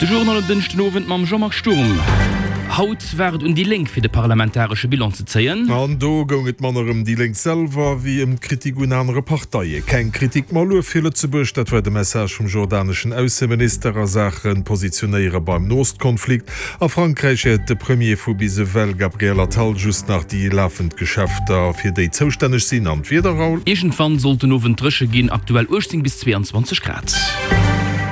De Journal um Dënschden Owend mam Jean-Marc Sturm. Haut war et un déi Lénk fir de parlamentaresche Bilan ze zéien. An do goung et manner ëm déi Lénk selwer, wéi ëm d'Kritik un anere Parteie. Keng Kritik, ma Luef fir Lëtzebuerg, dat war de Message vum jordaneschen Ausseminister a Saache Positionéiere beim Noost-Konflikt. A Frankräich hätt de Premier vu bis ewell, Gabriel Attal, just nach déi lafend Geschäfter, fir déi zoustänneg sinn. An d'Wieder, Raoul? Iergendwann sollt den Owend dréche ginn, aktuell 18 bis 22 Grad.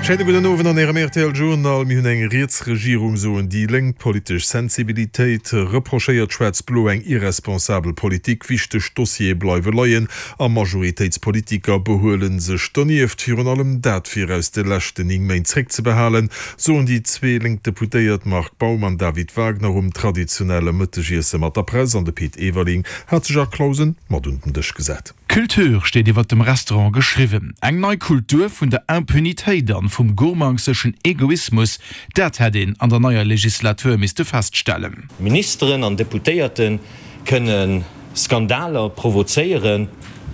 Schéine gudden Owend an Ärem rtl Journal. Mir hunn eng riets Regierung, soen déi Lénk. D'politesch Sensibilitéit reprochéiert Schwaarz-Blo eng irresponsabel Politik. Wichteg Dossiere bleiwe leien a Majoritéitspolitiker behuele sech donieft. Virun allem dat wier aus de leschten 9 Méint zréckzebehalen, soen déi zwee lénk Deputéiert Marc Baum an David Wagner um traditionelle Mëttegiesse mat der Press. An de Pit Everling hat sech a Clausen mat un den Dësch gesat. Culture steet iwwer dem Restaurant geschriwwen. Eng nei Kultur vun der Impunitéit an vum gourmangseschen Egoismus, dat hätt een an der neier Legislatur misste feststellen. Ministeren an Deputéierte kënne Skandaler provozéieren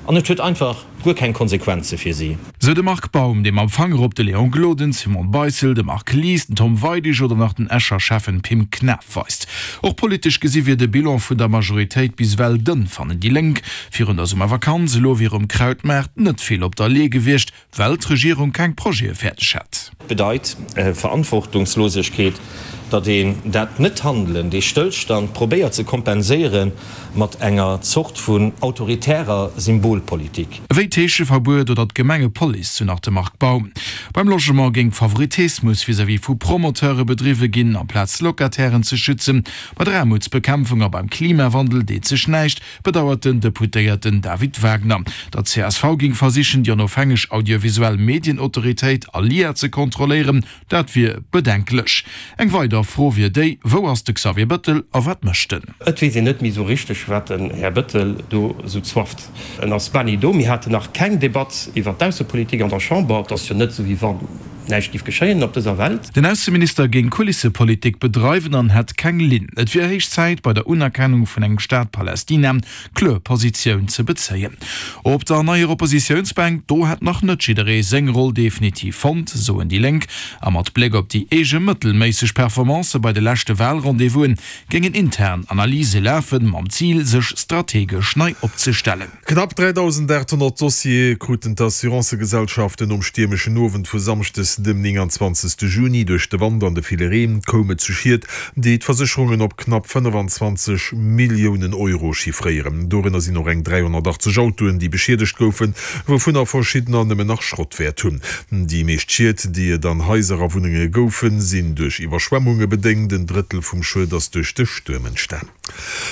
an et huet einfach guer keng Konsequenze fir si. Sou de Marc Baum, dee mam Fanger op de Léon Gloden, d'Simone Beissel, de Marc Lies, den Tom Weidig oder nach den Escher Schäffen Pim Knaff weist. Och politesch gesi wier de Bilan vun der Majoritéit bis ewell dënn, fannen déi Lénk. Virun der Summervakanz, elo wier um Krautmaart net vill op der Lee gewiescht, Well d'Regierung keng Projete fäerdeg hätt. Bedeit Verantwortungslosegkeet, datt een dat Net-Handelen, dee Stëllstand probéiert ze kompenséiere mat enger Zort vun autoritärer Symbolpolitik. Ewéi d'Heescheverbuet oder d'Gemengepolice, sou nach de Marc Baum. Beim Logement géing Favoritismus vis-à-vis vu Promoteure bedriwwe ginn, amplaz Locatairen ze schützen. Bei der Aarmutsbekämpfung a beim Klimawandel deet sech näischt. Bedauert den Deputéierten David Wagner. Der csv géing versichen, déi onofhängeg audiovisuell Medienautoritéit ALIA ze kontrolléieren. Dat wier bedenklech. Eng weider Fro wier déi, Wou ass de Xavier Bëttel a wat mécht en? Et weess een net méi esou richteg, wat den Här Bëttel do esou zwafft. En ass bal ni do. Mir haten nach keng Debatt iwwer d'Aussepolitik an der Chamber. Et ass jo net esou, wéi wann näischt géif geschéien op dëser Welt. Den Ausseminister géing Kulissepolitik bedreiwen an hätt keng Linn. Et wier héich Zäit, bei der Unerkennung vun engem Staat Palästina kloer Positioun ze bezéien. Op der neier Oppositiounsbänk, do hätt nach net jidderee seng Roll definitiv fonnt, soen déi Lénk. A mat Bléck op déi eege mëttelméisseg Performancë bei de leschte Walrendez-vousen géingen intern Analyse lafen, mam Zil, sech strategesch nei opzestellen. Knapp 3.800 Dossiere kruten d'Assurancëgesellschaften nom stiermeschen Owend vu Samschdes dem 29 Juni. Duerch de Wand an de ville Reen koum et zu Schied, déi d'Versécherungen op knapp 25 Milliounen Euro chiffréieren. Dorënner sinn och eng 380 Autoen, déi beschiedegt goufen, wouvunner verschiddener nëmmen nach Schrottwäert hunn. Déi meescht Schied, déi et an Haiser a Wunnenge goufen, sinn duerch Iwwerschwemmunge bedéngt. En Drëttel vum Schued ass duerch de Stuerm entstan.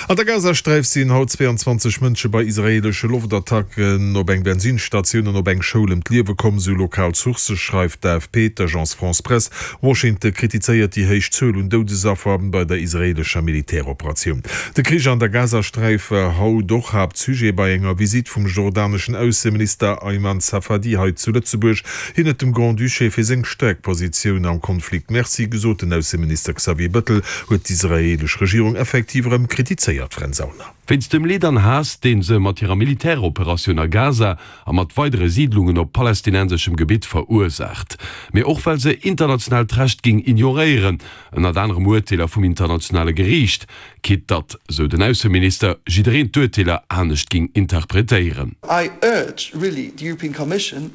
An der Gazasträif sinn haut 22 Mënsche bei israeelesche Loftattacken op eng Bensinsstatioun an op eng Schoul ëm d'Liewe komm, sou lokal Sourcë, schreift d'AFP, d'Agence France-Presse. Washington kritizéiert déi héich Zuel un Doudesaffer bei der israeelescher Militäroperatioun. De Krich an der Gazasträif war haut och Haaptsujet bei enger Visitt vum jordaneschen Ausseminister Ayman Safadi hei zu Lëtzebuerg. Hien huet dem Grand-Duché fir seng staark Positioun am Konflikt Merci gesot. Den Ausseminister Xavier Bëttel huet d'israeelesch Regierung effektiv erëm kritizéiert. Fränz Sauner. Wéinst dem Leed an Haass, deen se mat hirer Militäroperatioun a Gaza a mat weidere Siidlungen op palästinenseschem Gebitt verursaacht, mee och well se internationaalt Recht géing ignoréieren, ënnert anerem Urteeler vum internationale Geriicht, quitt datt, sou den Ausseminister, jiddereen d'Urteeler anescht géing interpretéieren. I urge really the European Commission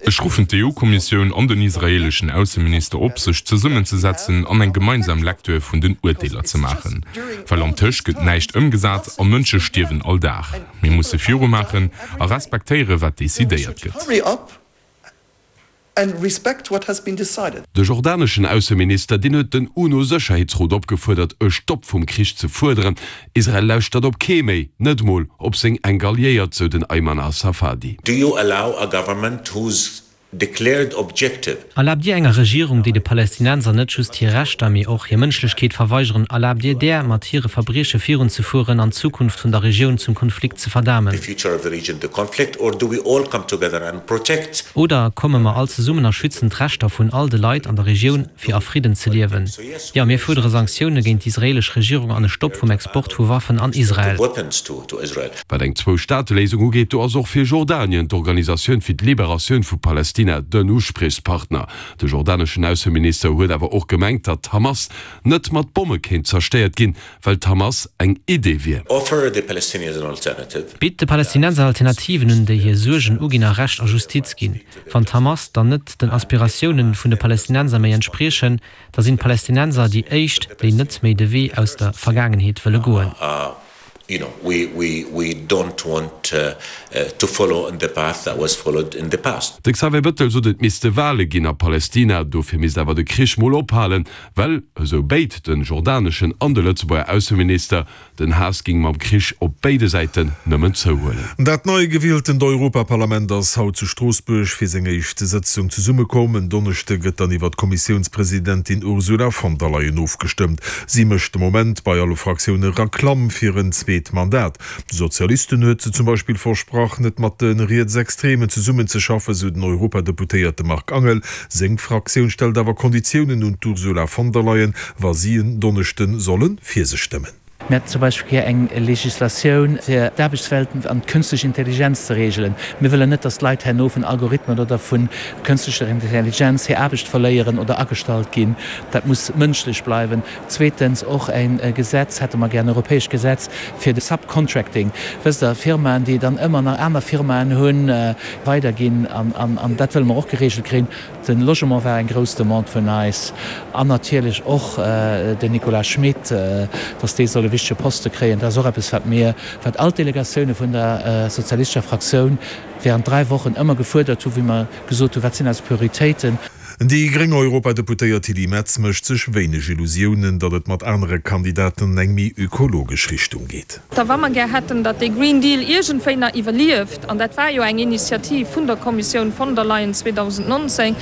Ech ruffen d'EU-Kommissioun an den israeeleschen Ausseminister op, sech zesummenzesetzen an eng gemeinsam Lecture vun den Urteeler ze maachen. Well antëscht gëtt näischt ëmgesat a Mënsche stierwen all Dag. Mir musse virumaachen a respektéiere wat decidéiert gëtt. De jordaneschen Ausseminister, deen huet den UNO-Sécherheetsrot opgefuerdert, e Stopp vum Krich ze fuerderen. Israel lauschtert op kee méi, net mol op seng enk Alliéiert, sou den Ayman al-Safadi. Do you allow a government whose declared objective. Erlaabt Dir enger Regierung, déi de Palästinenser net just hir Rechter, mee och hir Mënschlechkeet verweigeren, erlaabt Dir där, mat hire Verbrieche virunzefueren an d'Zukunft vun der Regioun zum Konflikt ze verdamen? Oder komme mer all zesummen a schützen d'Rechter vun all de Leit an der Regioun, fir a Fridden ze liewen? Jo, mir fuerdere Sanktioune géint d'israeelesch Regierung an e Stopp vum Export vu Waffen an Israel. Wat eng Zwou-Staate-Léisung ugeet, do ass och fir Jordanien d'Organisatioun fir d'Liberatioun vu Palästina. Palästina den Uspriechspartner. De jordaneschen Ausseminister huet awer och gemengt, datt d'Hamas net mat Bomme kéint zerstéiert ginn, well d'Hamas eng Idee wier. Offer the Palestinians an alternative. Bitt de Palästinenser Alternativen un, déi hir Suergen uginn a Recht a Justiz ginn. Wann d'Hamas dann net den Aspiratiounen vun de Palästinenser méi entspriechen, da sinn d'Palästinenser déi éischt, déi net méi de Wee aus der Vergaangenheet wëlle goen. You know, we, we, we don't want to follow in the path that was followed in the past. De Xavier Bettel sot, et misste Wale ginn a Palestina, dofir misst awer de Krich mol ophalen, well, esou béid den jordaneschen an de Lëtzebuerger Ausseminister, den Haass ging mam Krich op béide Säiten nëmmen zouhuelen. Dat nei gewieltent Europaparlament ass haut zu Stroossbuerg fir seng éischt Sëtzung zesummekomm. En Donneschde gëtt dann iwwer d'Kommissiounspresidentin Ursula von der Leyen ofgestëmmt. Si mécht de Moment bei alle Fraktioune Reklamm fir en zweet Mandat. De Sozialisten huet se zum Beispill versprach, net mat de Rietsextremen zesummenzeschaffen, sou den Europadeputéierte Marc Angel. Seng Fraktioun stellt awer Konditiounen un d'Ursula von der Leyen, wa si en Donneschde solle fir se stëmmen. Mir hätten zum Beispill gär eng Legislatioun, fir d'Aarbechtswelt an d'künstlech Intelligenz ze regelen. Mir wëllen net, dass d'Leit herno vun Algorithmen oder vu künstlecher Intelligenz hir Aarbecht verléieren oder agestallt ginn. Dat muss mënschlech bleiwen. Zweetens och e Gesetz hätte mer gär, en europäescht Gesetz fir de Subcontracting. Wësst Der, Firmaen, déi dann ëmmer nach aner Firmaen hunn, weiderginn. An dat wëlle mer och geregelt kréien. De Logement war eng grouss Demande vun eis an natierlech och den Nicolas Schmit, dass dee soll e wichtege Poste kréien. Dat ass och eppes, wat mir, wat all d'Delegatioune vun der sozialistescher Fraktioun während 3 Wochen ëmmer gefuerdert hunn, wéi mer gesot hunn, wat sinn eis Prioritéiten. Déi gréng Europadeputéiert Tilly Metz mécht sech wéineg Illusiounen, datt et mat anere Kandidaten an eng méi ökologesch Richtung geet. Da wa mer gär hätten, datt dee Green Deal iergendwéi nach iwwerlieft, an dat war jo eng Initiativ vun der Kommissioun von der Leyen 2019,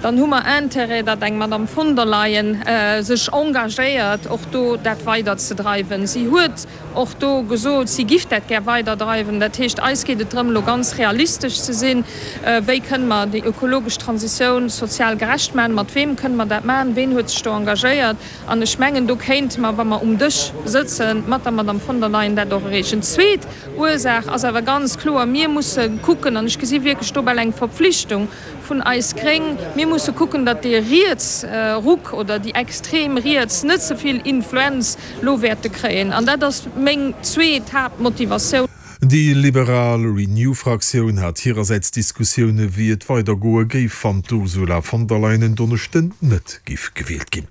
dann hu mer Intérêt, datt eng Madame von der Leyen sech engagéiert, och do dat weiderzedreiwen. Si huet och do gesot, si giff dat gär weiderdreiwen. Dat heescht, eis geet et drëm, elo ganz realistesch ze sinn, Wéi kënne mer déi ökologesch Transitioun sozial gerecht maachen? Mat weem kënne mer dat maachen? Ween huet sech do engagéiert? An ech mengen, do kéinte mer, wa mer um Dësch sëtze mat der Madame von der Leyen, dat och erreechen. Zweet Ursaach ass awer ganz kloer, Mir musse kucken, an ech gesi wierklech do bal eng Verpflichtung vun eis Gréng, mir musse kucken, datt dee Rietsruck oder déi extrem Riets net ze vill Influenz lo wäerte kréien. An dat ass meng zweet Haaptmotivatioun. Déi liberal Renew-Fraktioun hat hirersäits Diskussioune wéi et weidergoe géif, wann d'Ursula von der Leyen en Donneschden net géif gewielt ginn.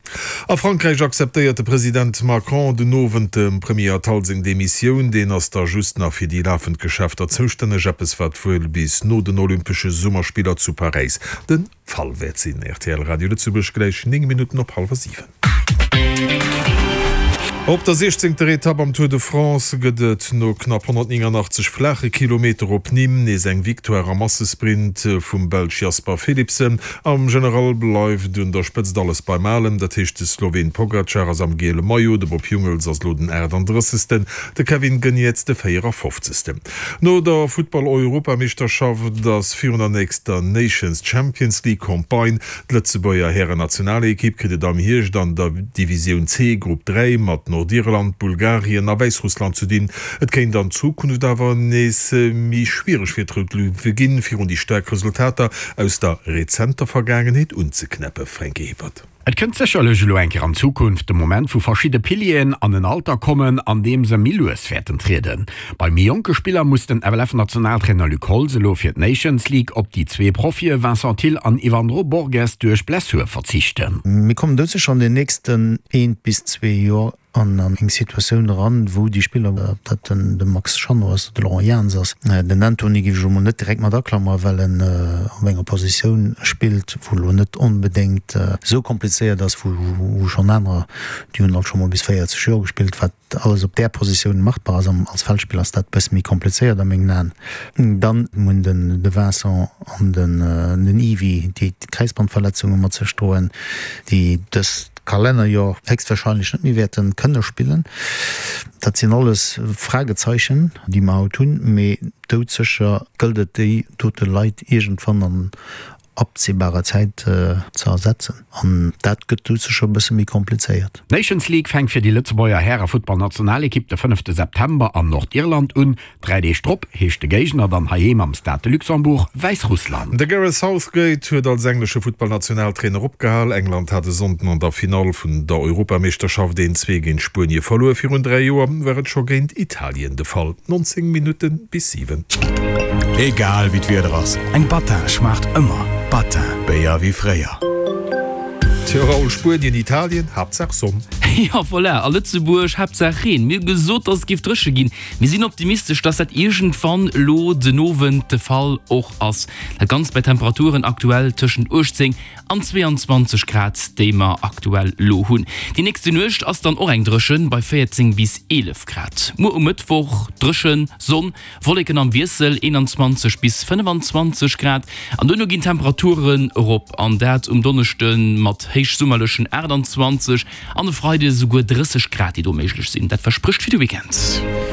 A Frankräich akzeptéiert de President Macron den Owend dem Premier Attal seng Demissioun. Deen ass da just nach fir déi lafend Geschäfter zoustänneg, eppes wat wuel bis no den Olympesche Summerspiller zu Paräis de Fall wäert sinn. Rtl Radio Lëtzebuerg, gläich 9 Minutten op hallwer 7. Op der siechzéngter Etapp am Tour de France gëtt et no knapp 189 flaache Kilometer op Nîmes nees eng Victoire am Massesprint vum Belsch Jasper Philipsen. Am General bleift un der Spëtzt alles beim Alen, dat heescht de Sloween Pogacar ass am giele Maillot, de Bob Jungels ass elo den 38., de Kevin Geniets de 54. No der Futtball-Europameeschterschaft ass virun der nächster Nations Champions League Campagne. D'Lëtzebuerger Hären-Nationalekipp kritt et am Hierscht an der Divisioun C, Grupp 3, mat Nordirland, Bulgarien a Wäissrussland ze dinn. Et kéint an Zukunft awer nees méi schwiereg fir d'Rout Löwe ginn, fir un déi staark Resultater aus der rezenter Vergaangenheet unzeknäppen. Franky Hippert. Et kënnt sécherlech elo eng Kéier an Zukunft de Moment, wou verschidde Pilieren an en Alter kommen, an deem se méi lues wäerten trieden. Bei méi jonke Spiller muss den FLF-Nationaltrainer Luc Holtz elo fir d'Nations League op déi zwee Profie Vincent Thill an Yvandro Borges duerch Blessur verzichten. Mir kommen doudsécher an den nächsten eent bis zwee Joer an an eng Situatioun eran, wou déi Spiller, ob dat den de Max Schanno ass oder de Laurent Jans ass, den Antony géif ech elo mol net direkt mat aklamere well en op enger Positioun spillt, wou elo net onbedéngt esou komplizéiert ass, wou wou schonn anerer, déi hunn alt scho mol bis 40 Joer gespillt, wat alles op där Positioun machbar ass. Als Feldspiller ass dat e bësse méi komplizéiert a mengen Aen. Dann hunn den de Vincent an den den Yvi, déi Kräizbandverletzunge mat sech droen, déi dëst Kalennerjoer héchstwahrscheinlech net méi wäerte kënne spillen. Dat sinn alles Fragezeichen, déi mer haut hunn, mee doudsécher gëllt et, déi dote Leit iergendwann an. absehbarer Zäit ze ersetzen. An dat gëtt du sécher e bësse méi komplizéiert. D'Nations League fänkt fir déi Lëtzebuerger Härefuttballnationalekipp de fënnefte September an Nordirland un. 3 Deeg drop heescht de Géigner dann heiheem am Stade de Luxembourg Wäissrussland. De Gareth Southgate huet als englesche Futtballnationaltrainer opgehal. England hat e Sonnden an der Finall vun der Europameeschterschaft een 2 géint Spuenie verluer. Virun 3 Joer war et scho géint Italien de Fall. 19 Minutte bis 7. Egal wéi d'Wieder ass, eng Battin schmaacht ëmmer. Battin, Béier wéi fréier. Tjo Raoul, Spuenien, Italien, Haaptsaach Sonn. Jo voilà, a Lëtzebuerg Haaptsaach Reen. Mir hu gesot, dass et géif dréche ginn. Mir sinn optimistesch, dass dat iergendwann elo den Owend de Fall och ass. Dat Ganzt bei Temperaturen aktuell tëschent 18 an 22 Grad, déi mer aktuell elo hunn. Déi nächste Nuecht ass dann och eng dréchen, bei 14 bis 11 Grad. Muer um Mëttwoch dréchen, Sonn, Wolleken am Wiessel, 21 bis 25 Grad. An duerno ginn d'Temperaturen erop, an dat um Donneschde mat héichsummerlechen 28 An e Freide souguer 30 Grad, déi do méiglech sinn. Dat versprécht fir de Weekend.